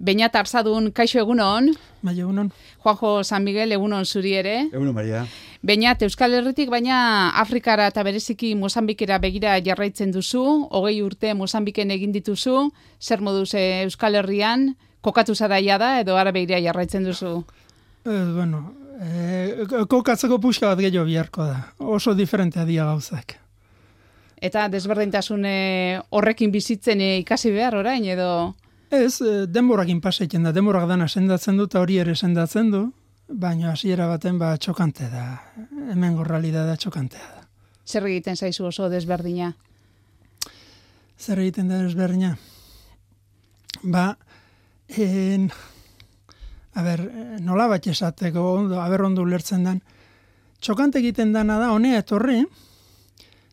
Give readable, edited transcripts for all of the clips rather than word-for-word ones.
Beñat Arzadun, kaixo egunon. Bai, egunon. Juanjo San Miguel, egunon zuri ere. Egunon, Maria. Beñat, Euskal Herritik, baina Afrikara eta bereziki Mozambikera begira jarraitzen duzu, 20 urte Mozambiken egin dituzu, zer moduz Euskal Herrian, kokatu zara da edo ara begira jarraitzen duzu? Kokatzeko puxka bat gehiago biharko da. Oso diferentea dira gauzak. Eta desberdintasun horrekin bizitzen ikasi behar orain edo? Ez, denborakin pasaiten da. Denborak dana sendatzen du eta hori ere sendatzen du, baina hasiera baten txokante da. Hemen realitatea txokantea da. Zer egiten zaizu oso desberdina? Zer egiten da desberdina? Nola bat esateko, ondo ulertzen den, txokante egiten dana da, honea etorri,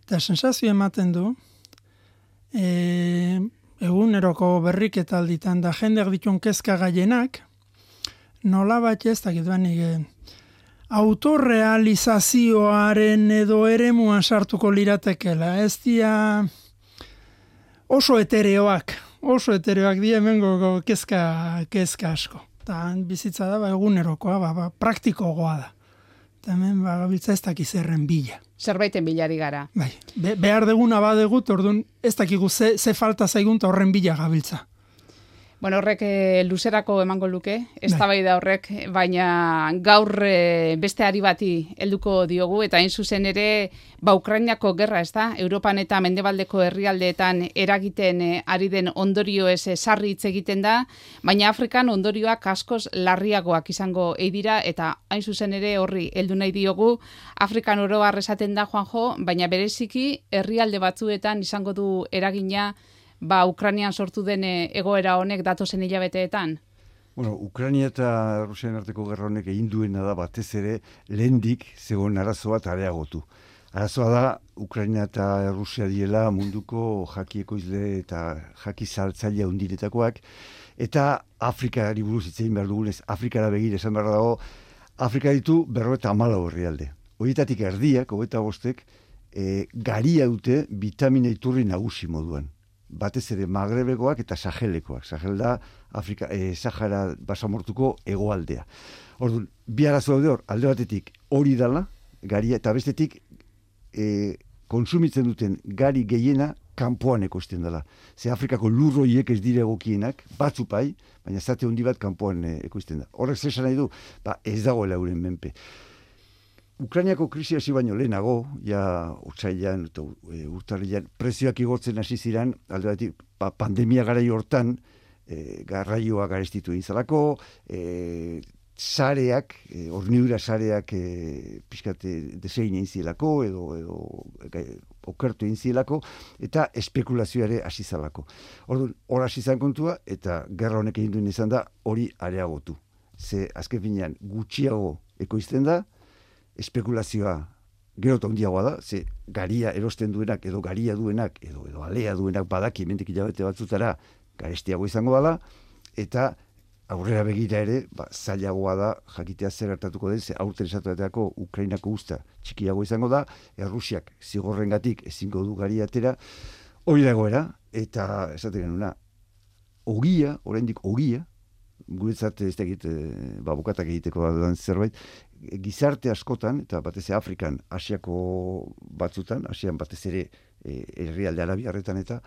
eta sensazio ematen du, eguneroko berriketalditan da jendeak ditun kezka gaienak, nola bat ez dakit autorrealizazioaren edo eremuan sartuko liratekela, ez dia oso etereoak di hemengo kezka asko. Eta bizitza da, egunerokoa, praktikoagoa da. Eta hemen gabiltza ez dakiz erren bila. Zerbaiten bilari gara. Bai, behar deguna badegut, orduan ez dakigu ze falta zaigun eta horren bila gabiltza. Bueno, horrek luzerako emango luke, eztabaida horrek, baina gaur beste ari bati helduko diogu, eta hain zuzen ere, Ukrainako gerra, ez da? Europan eta mendebaldeko herrialdeetan eragiten ari den ondorio ez sarri hitz egiten da, baina Afrikan ondorioak askoz larriagoak izango dira, eta hain zuzen ere horri heldu nahi diogu, Afrikan oro har esaten da, Juanjo, baina bereziki herrialde batzuetan izango du eragina Ukrainian sortu den egoera honek datozen hilabeteetan? Bueno, Ukraina eta Rusian arteko gerra honek egin duena da batez ere lehendik zegoen arazoa eta areagotu. Arazoa da Ukraina eta Rusia diela munduko jaki ekoizle eta jaki saltzaile handienetakoak, eta Afrikari buruz hitz egin behar dugunez, Afrikara begira esan behar dago, Afrika ditu 54 herrialde. Horietatik erdiak, 25, garia dute bitamina iturri nagusi moduan. Batez ere Magrebekoak eta Sahelekoak. Sahel da Sahara basamortuko hegoaldea. Orduan, bi arazo daude hor, alde batetik hori dala, garia, eta bestetik kontsumitzen duten gari gehiena kanpoan ekoizten dela. Ze Afrikako lurroiek ez dire egokienak, batzupai, baina zate handi bat kanpoan ekoizten da. Horrek zesan nahi du, ez dagoela euren menpe. Ukrainiako krisi hasi baino lehenago, otsailean eta urtarrilean prezioak igotzen hasi ziren, alde batetik pandemia garai hortan, garraioa garestitu egin zalako, sareak, hornidura sareak pixkate desein egin zielako, edo okertu egin zielako, eta espekulazioare hasi zalako. Orduan, hor hasi zan kontua, eta gerra honek egin duen izan da, hori areagotu. Ze azken finean gutxiago ekoizten da, espekulazioa gero eta handiagoa da, ze garia erosten duenak, edo garia duenak, edo alea duenak badaki hemendik hilabete batzutara garestiago izango dela, eta aurrera begira ere, zailagoa da jakitea zer gertatuko den, ze aurten esatuetako Ukrainako usta txikiago izango da, Errusiak zigorrengatik ezingo du garia atera, hori dagoera, eta esaten genuna, oraindik ogia, guretzat ez dakit bukatak egiteko da zerbait, gizarte askotan, eta batez ere Afrikan, Asiako batzutan, Asian batez ere herrialde arabiarretan eta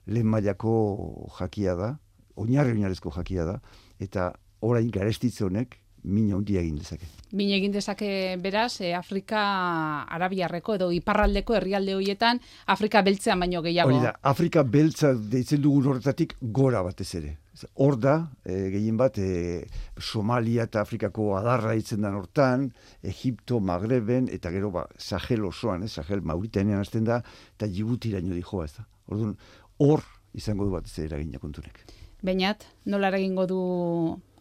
lehen mailako jakia da, oinarrezko jakia da, eta orain garestitze honek min handia egin dezake. Min egin dezake beraz, Afrika arabiarreko edo iparraldeko herrialde horietan, Afrika beltzean baino gehiago. Hori da, Afrika beltza deitzen dugun horretatik gora batez ere. Hor da, gehien bat, Somalia eta Afrikako adarra ditzen den hortan, Egipto, Magreben, eta gero Sahel osoan, Sahel Mauritanean hasten da, eta Djibutiraino dijoa, ez da. Orduan, hor izango du batez ere eragina kontunek. Beñat, nola eragingo du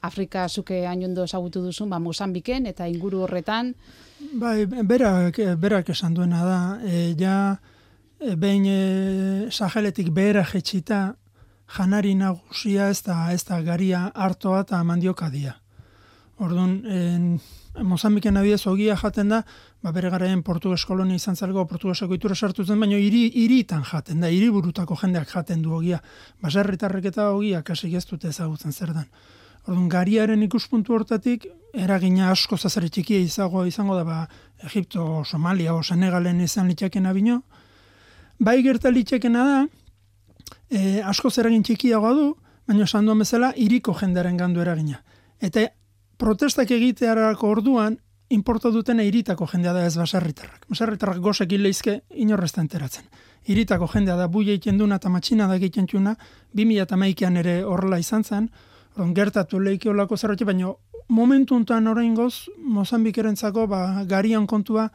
Afrika zuke hainondo ezagutu duzun, Mozambiken eta inguru horretan? Bai, berak esan duena da, behin Saheletik behera jetxita, janari nagusia ez da garia hartoa eta mandioka dia. Orduan, Mozambiken adibidez ogia jaten da, bere garaian portuges kolonia izan zelgo, portugeseko itura sartu zen, baina hiritan jaten da, hiriburutako jendeak jaten du ogia. Baserritarrek eta ogia kasik ez dute ezagutzen zer dan. Orduan, gariaren ikuspuntu hortatik, eragina asko zazare txikia izango da, Egipto, Somalia o Senegalen izan litzakena bino. Bai gerta litzakena da, asko eragin txikiagoa du, baina esan duen bezala, hiriko jendearen gandu eragina. Eta protestak egitearako orduan, inporta dutena hiritako jendea da ez baserritarrak. Baserritarrak gozek leizke inorrezta enteratzen. Hiritako jendea da buia egiten duna eta matxina da egiten txuna, 2011an ere horrela izan zen, gertatu lehiki olako zerratxe, baina momentu honetan oraingoz Mozambikerentzako garian kontua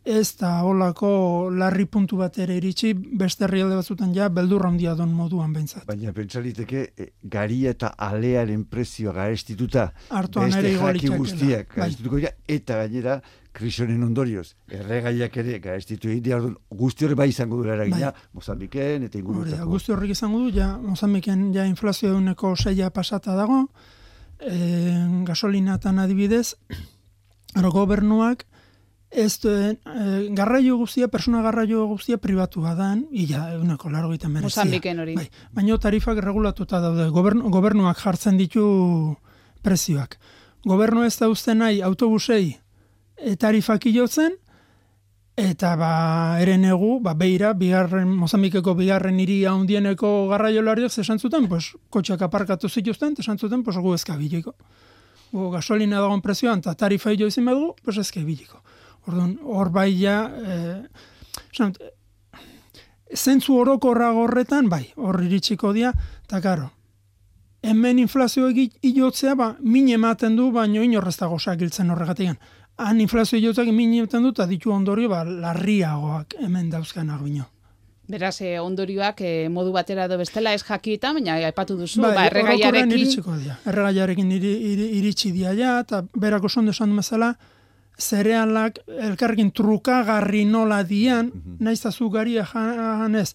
ez da olako larri puntu bat ere iritsi, beste herrialde batzutan beldurra handia don moduan behintzat. Baina pentsaliteke garia eta alearen prezioa garestituta, beste jaki guztiak garestituko dira, eta gainera krisionen ondorioz, erregaiak ere garestituko dira, guzti horre bai izango dira eragina, Mozambiken eta ingurutako. Guzti horrek izango du, Mozambiken inflazio eguneko 6 pasata dago, gasolinatan adibidez, gobernuak, ez garraio guztia, persona garraio guztia pribatua dan, eguneko largo egiten merezia. Mozambiken hori. Baina tarifak regulatuta daude, gobernuak jartzen ditu prezioak. Gobernu ez da uste nahi autobusei tarifak ilotzen, eta eren egu, beira, Mozambikeko bigarren hiri handieneko garraiolariak esan zuten, kotxeak aparkatu zituzten, esan zuten, gu ezkabiliko. Gasolina dagoen prezioan, eta tarifa hilo izin badugu, ezkabiliko. Orduan, hor zentzu orokorra horretan, hor iritsiko dia, eta karo, hemen inflazio ilotzea, min ematen du, baino inorreztago sakiltzen horregatik. Han inflazio ilotzeak min ematen du, eta ditu ondorio, larriagoak hemen dauzkanak bino. Beraz, ondorioak modu batera edo bestela ez jakietan, baina aipatu duzu, erregaiarekin iritsi dia eta berako sondo esan du bezala, zerealak elkarrekin trukagarri nola dian, naiztazu garia janez.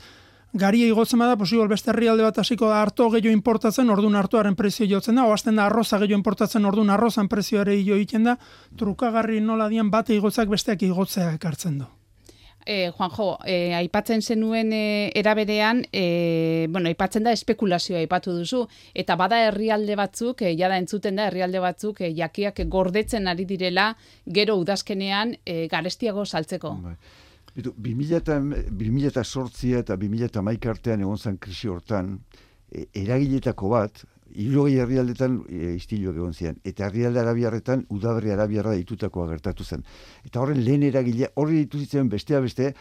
Garia igotzen bada, posibol beste herrialde bat hasiko da arto gehiago importatzen, orduan artoaren prezio jotzen da, oazten da arroza gehiago importatzen, orduan arrozan prezioare hilo egiten da, trukagarri nola dian bate igotzak besteak igotzea ekartzen du. Juanjo, aipatzen zenuen eraberean, aipatzen da espekulazioa aipatu duzu, eta bada herrialde batzuk, jada entzuten da herrialde batzuk, jakiak gordetzen ari direla, gero udazkenean garestiago saltzeko. 2008 eta 2011 artean egon zen krisi hortan, eragiletako bat, 60 herrialdetan istiluak egon ziren, eta herrialde arabiarretan udaberri arabiarra ditutakoa gertatu zen. Eta horren lehen eragilea, horri dituzitzen beste,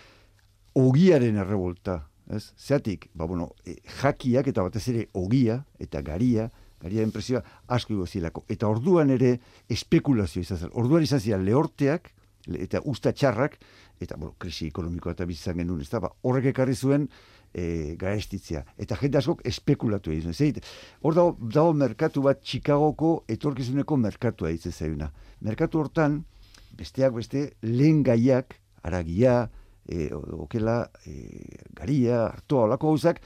ogiaren errebolta. Zeatik, jakiak eta batez ere ogia eta gariaren prezioa asko igozilako. Eta orduan ere espekulazio izan zen. Orduan izan ziren lehorteak eta usta txarrak, eta krisi ekonomikoa eta bizitzan genuen, horrek ekarri zuen garestitzea. Eta jende askok espekulatu egin zuen. Hor dago merkatu bat Chicagoko etorkizuneko merkatua ditzen zailuna. Merkatu hortan, besteak beste, lehen gaiak, aragia, okela, garia, artoa, olako gauzak,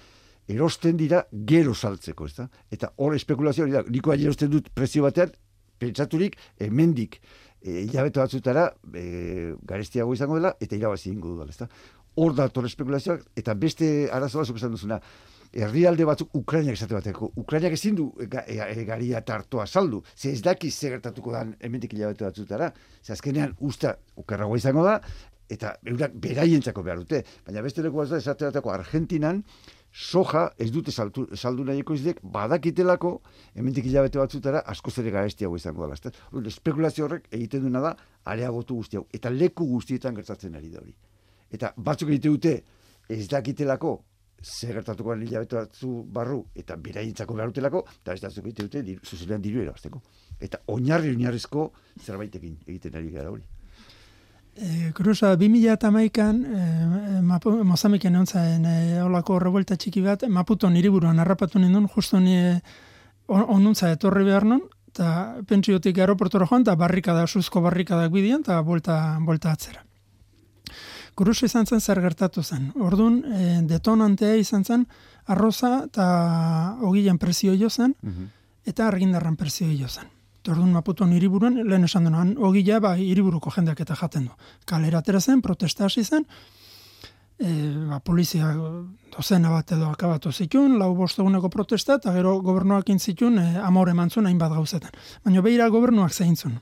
erosten dira gero saltzeko, ezta? Eta hor espekulazioa hori da, niko erosten dut prezio batean, pentsaturik, hemendik hilabete batzutara garestiago izango dela, eta irabazi ingo dudala, ezta? Hor da torre espekulazioak, eta beste arazoa zuk esan duzuna, herrialde batzuk Ukrainak esate bateko. Ukrainak ezin du garia eta artoa saldu. Ze ez daki ze gertatuko dan hemendik hilabete batzutara. Ze azkenean usta okerragoa izango da, eta eurak beraientzako behar dute. Baina beste leku bat da esate bateko Argentinan, soja ez dute saldu nahieko izlek, badakitelako hemendik hilabete batzutara askoz ere garestiago izango dela. Espekulazio horrek egiten duena da areagotu guzti hau. Eta leku guztietan gertatzen ari da hori. Eta batzuk egite dute ez dakitelako zer gertatuko hilabete batzu barru eta beraientzako behar dutelako, eta ez batzuk egite dute zuzenean diru erabazteko. Eta oinarrizko zerbaitekin egiten ari gara hori. Kurusa, 2011an Mozambiken egon olako revuelta txiki bat, Maputon hiriburuan harrapatu nindun, justu onuntza etorri behar non, eta pentsiotik aeroportora joan, eta suzko barrikadak bidian, eta bolta atzera. Kurusa izan zen zer gertatu zen. Orduan, detonantea izan zen, arroza eta ogilan prezio jo zen, eta argindarran prezio jo zen. Eta orduan Maputon hiriburuan, lehen esan duan, ogia hiriburuko jendeak eta jaten du. Kalera atera zen, protesta hasi zen, polizia dozena bat edo akabatu zituen, 4-5 eguneko protesta, eta gero gobernuak intzitun amore emantzun hainbat gauzetan. Baina behira gobernuak zeintzun.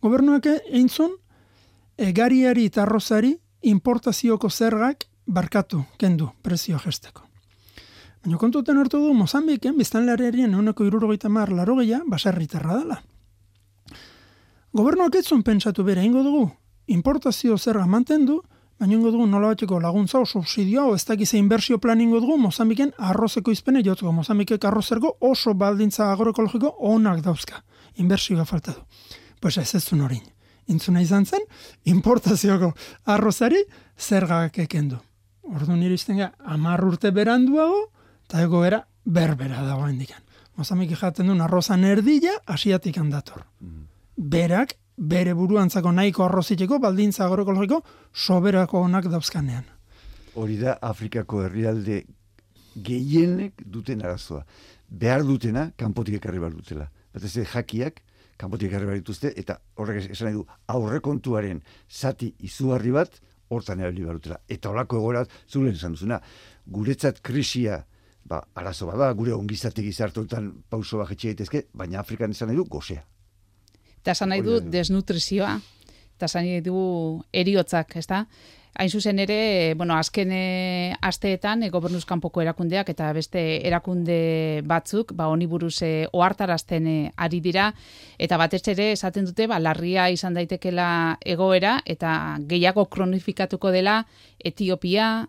Gobernuak eintzun, gariari eta arrozari importazioko zergak barkatu, kendu, prezio jesteko. Baina kontuten hartu du, Mozambiken, biztanlearien 70-80 baserritarra dela. Gobernuak ez zuen pentsatu bere, ingo dugu, importazio zerga mantendu, baina ingo dugu nolabateko laguntza o subsidioa o ez dakize inbertsio plan ingo dugu Mozambiken arrozeko izpene jotzeko. Mozambikek arrozergo oso baldintza agroekologiko onak dauzka. Inbertsioa falta du. Pues ez zuen horin. Intzuna izan zen, importazioko arrozari zergak ekendu. Orduan iristen ga, 10 urte beranduago, eta egoera berbera dago hendikan. Mozambik jaten duen arrozan erdila, asiatik handator. Berak, bere buruantzako nahiko arroziteko, baldintza agroekologiko, soberako onak dauzkanean. Hori da Afrikako herrialde gehienek duten arazoa. Behar dutena, kanpotik ekarri behar dutela. Batez jakiak, kanpotik ekarri behar dituzte, eta horrek esan nahi du, aurrekontuaren zati izugarri bat, hortan erabili behar dutela. Eta horako egorat, zuren esan duzuna, guretzat krisia, arazo bada, gure ongizate gizartoetan pauso bajetxe gaitezke, baina Afrikan esan nahi du, gozea. Eta esan nahi du desnutrizioa, eta esan nahi du eriotzak, ez da? Hain zuzen ere, azken asteetan gobernuz kanpoko erakundeak eta beste erakunde batzuk, honi buruz ohartarazten ari dira, eta batez ere esaten dute, larria izan daitekela egoera, eta gehiago kronifikatuko dela Etiopia,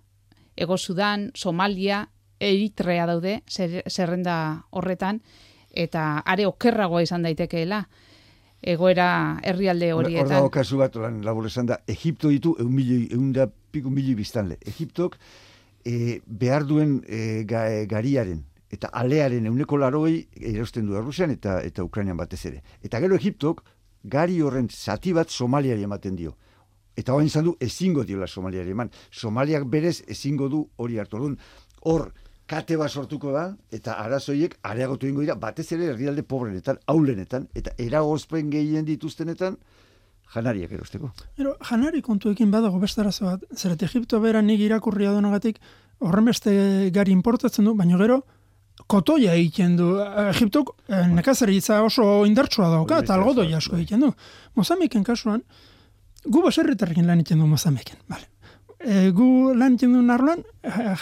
Ego Sudan, Somalia, Eritrea daude, zerrenda horretan, eta are okerragoa izan daitekeela egoera herrialde horietan. Hor dago kasu bat, labur esan da, Egipto ditu 100.000 biztanle. Egiptok behar duen gariaren eta alearen 80% erosten du Errusian eta Ukrainian batez ere. Eta gero Egiptok gari horren zati bat Somaliari ematen dio. Eta hori izan du ezingo diola Somaliari eman. Somaliak berez ezingo du hori hartu. Hor kate bat sortuko da, eta arazoiek areagotu ingo dira, batez ere herrialde pobrenetan, aulenetan, eta eragozpen gehien dituztenetan, janariak erosteko. Janari kontuekin badago beste arazo bat, zeret Egipto bera nik irakurria donagatik, horren beste gari importatzen du, baina gero, kotoia egiten du. Egiptok nekazaritza oso indartsua dauka, eta algodoi asko egiten du. Mozambiken kasuan, gu baserritarrekin lan egiten du Mozambiken, bale. Gu lan egiten duen arloan,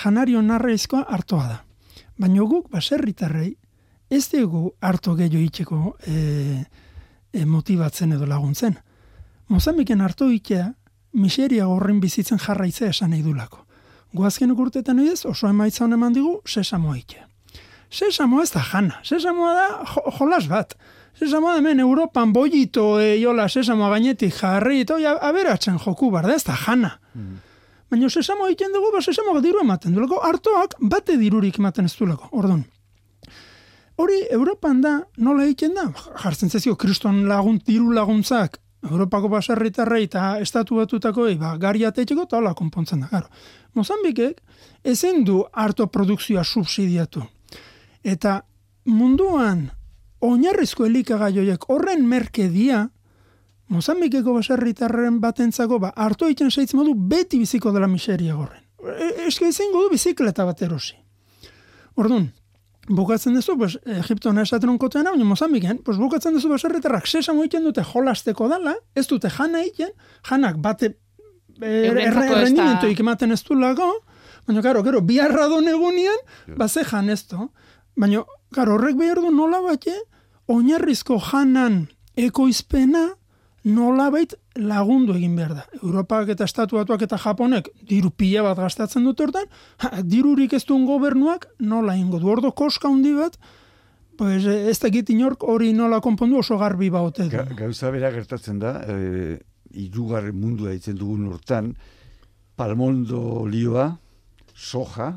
janario narraizkoa hartoa da. Baina guk baserritarrei ez dugu harto gehiago itxeko motibatzen edo laguntzen. Mozambiken harto itea, miseria horren bizitzen jarraitzea esan nahi dulako. Gu azken urteetan edez oso emaitza hon eman digu sesamoa itea. Sesamoa ez da jana, sesamoa da jolas bat. Sesamoa hemen Europan bollito jola sesamoa gainetik jarri, aberatzen joku bar da, ez da jana. Baina sesamo egiten dugu, sesamoak diru ematen duelako, hartoak bate dirurik ematen ez duelako, orduan. Hori, Europan da, nola egiten da? Jartzen zezio, kriston diru laguntzak, Europako baserritarrei eta estatu batutako gari ateiteko, eta hola konpontzen da, garo. Mozambikek ezin du harto produkzioa subsidiatu. Eta munduan, oinarrizko elikagaioiek horren merkedia, Mozambikeko baserritarren batentzako hartu egiten seitz modu beti biziko dela miseria gorren. Eske izango du bizikleta bat erosi. Orduan, bukatzen duzu, Egiptoan esaten onkotean, baina Mozambiken, bukatzen duzu baserritarrak sesamo egiten dute jolasteko dala, ez dute jana egiten, janak bate errendimentoik ematen ez du lago, baina gero, biharra don egunian, ze jan ez du. Baina, horrek behar du nola bate, oinarrizko janan ekoizpena, nolabait lagundu egin behar da. Europak eta Estatuatuak eta Japonek diru pila bat gastatzen dute hortan, dirurik ez duen gobernuak nola ingo du. Ordo koska handi bat, ez dakit inork hori nola konpondu oso garbi baute du. Gauza bera gertatzen da, hirugarren mundua ditzen dugun hortan, palmondo lioa, soja,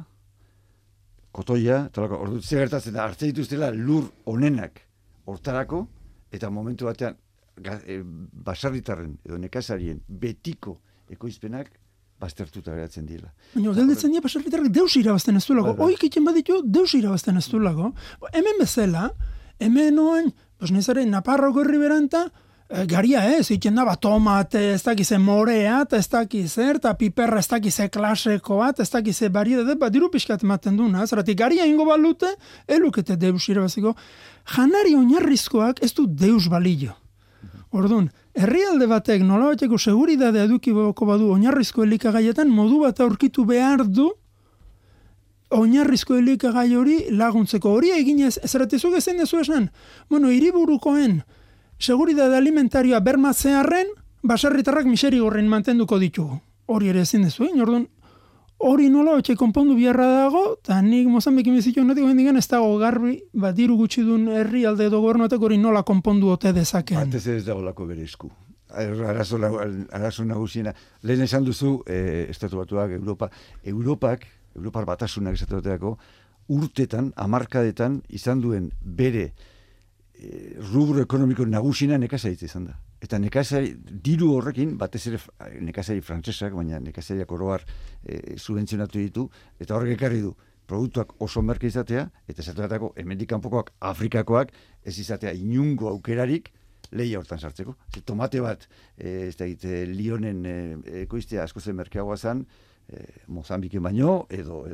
kotoia, ordu ze gertatzen da, hartze dituztela lur onenak hortarako, eta momentu batean basarritarren edo nekazarien betiko ekoizpenak baztertuta geratzen dira. Baina gelditzen dira basarritarrak deus irabazten ez duelako. Oik egiten baditu deus irabazten ez duelako. Hemen bezala, hemen oain, Pues nizare, Naparroko herriberan eta garia ez, iten da, tomate, ez dakize morea, eta ez dakize, eta piperra ez dakize klasekoa, ez dakize bariedade, diru pixkat ematen duna, zeratik garia ingo balute, elukete deus irabaziko. Janari oinarrizkoak ez du deus balio. Orduan, herrialde batek nola bateko seguridadea edukiboko badu oinarrizko elikagaietan modu bat aurkitu behar du oinarrizko elikagai hori laguntzeko. Hori eginez, zeratzuk ezen dezu esan, hiriburukoen seguridade alimentarioa bermatzearren, baserritarrak miseri gorren mantenduko ditugu. Hori ere ezin dezu, orduan, hori nola batxe konpondu biharra dago, eta nik Mozambikin bizitu honetiko hendigan ez dago garbi, diru gutxi duen herrialde edo gobernuatek hori nola konpondu ote dezakeen. Batez ez dago lako bere esku. Arazo nagusiena. Lehen esan duzu, Estatu Batuak, Europar Batasunak Estatu Batuako, urtetan, hamarkadetan, izan duen bere rubro ekonomiko nagusina nekazaritza izan da. Eta nekazari, diru horrekin, batez ere nekazari frantsesak, baina nekazariak oroar subentzionatu ditu, eta horrek ekarri du produktuak oso merke izatea, eta esateratako hemendik kanpokoak, Afrikakoak, ez izatea inungo aukerarik lehia hortan sartzeko. Tomate bat, Lionen ekoiztea asko zen merkeagoa zen, Mozambiken baino, edo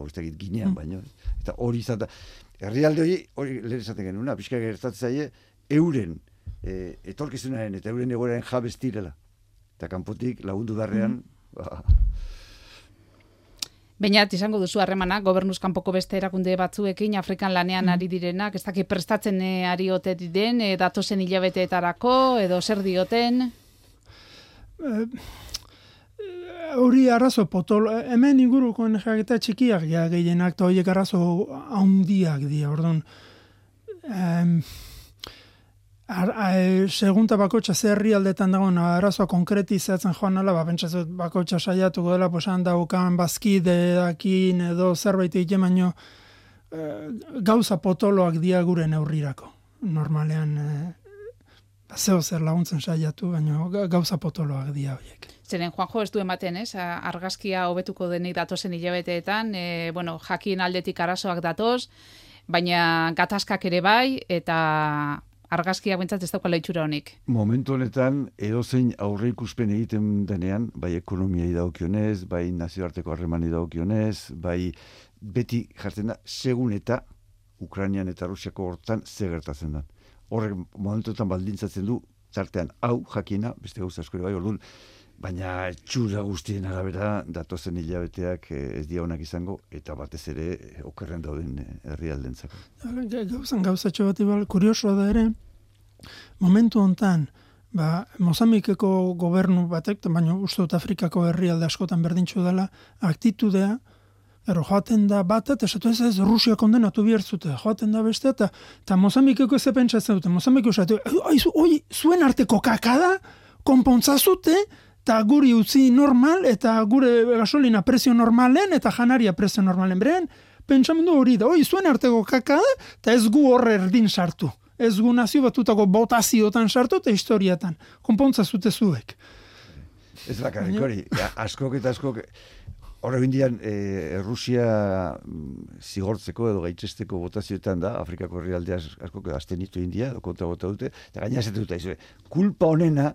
ez dakit Ginean baino. Eta hori izan da. Herrialde hori lehen esaten genuen, pixka gertatzen zaie, euren etorkizunaren eta euren egoeraren jabez direla. Eta kanpotik lagundu darrean... Bainat, izango duzu harremana, gobernuz kanpoko beste erakunde batzuekin, Afrikan lanean ari direnak, ez dakit prestatzen ari ote diren, datozen hilabeteetarako, edo zer dioten? Hori arazo potolo, hemen inguruko jaketa txikiak gehienak, eta horiek arazo handiak dira, orduan. Segunta bakotxa zerri aldetan dagoen arazoa konkretizatzen joan nala, pentsatzen bakotxa saiatuko dela, daukan bazkideakin edo zerbait egiten, baino gauza potoloak dia gure neurrirako. Normalean, zeo zer laguntzen saiatu, baino gauza potoloak dia horiek. Zeren, Juanjo, ez du ematen, ez? Argazkia hobetuko denik datozen hilabeteetan, jakin aldetik arazoak datoz, baina gatazkak ere bai, eta argazkiak bentsat ez daukala itxura honik. Momentu honetan, edozein aurre ikuspen egiten denean, bai ekonomiai dagokionez, bai nazioarteko harremani dagokionez, bai beti jartzen da, segun eta Ukrainian eta Rusiako hortan ze gertatzen da. Horrek momentuetan baldintzatzen du, tartean hau jakina, beste gauza askori bai, orduan, baina txura guztien arabera datozen hilabeteak ez dira onak izango, eta batez ere okerren dauden herrialdentzako. Gauzatxo bat ibal, kuriosoa da ere, momentu hontan, Mozambikeko gobernu batek, baina uste dut Afrikako herrialde askotan berdintxu dela, aktitudea, joaten da bat, eta esatu ez Rusia kondenatu biertzute, joaten da beste, eta Mozambikeko ez pentsatzen dute, Mozambikeko esatu, zuen arteko kakada, konpontzazute, eta guri utzi normal, eta gure gasolina prezio normalen, eta janaria prezio normalen. Beren, pentsamendu hori da, zuen arteko kakada, eta ez gu horre erdin sartu. Ez gu nazio batutako botaziotan sartu, eta historiatan. Konpontza zute zuek. Ez bakarrik hori, askok eta askok, horre bindian, Rusia zigortzeko edo gaitzesteko botazioetan da, Afrikako herrialdea askok aztenitu India, edo kontra bota dute, eta gaina zetu dute, kulpa honena,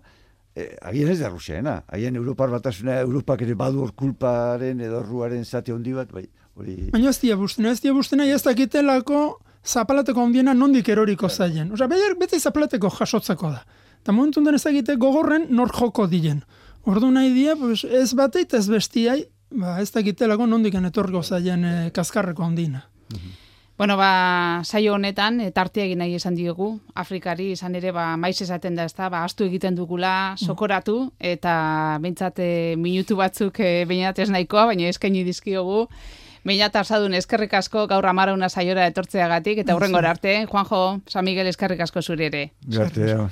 agian ez da Rusiaena, agian Europar Batasuna, Europak ere badu hor kulparen edo ruaren zate handi bat, bai, hori... Baina ez dia bustena, ez dakitelako zapalateko handiena nondik eroriko zaien. Osa, beti zapalateko jasotzeko da. Eta momentu den ez dakite gogorren nor joko diren. Ordu nahi dia, ez bateit ez bestiai, ez dakitelako nondik etorriko zaien kaskarreko handiena. Bueno, saio honetan, tartea egin nahi esan diogu, Afrikari izan ere, maiz esaten da, astu egiten dugula, sokoratu, eta behintzat minutu batzuk behinat ez nahikoa, baina eskaini dizkiogu. Behinat arzadun eskerrik asko gaur amarauna saiora etortzeagatik, eta hurrengora arte, Juanjo, San Miguel eskerrik asko zuri ere. Garte,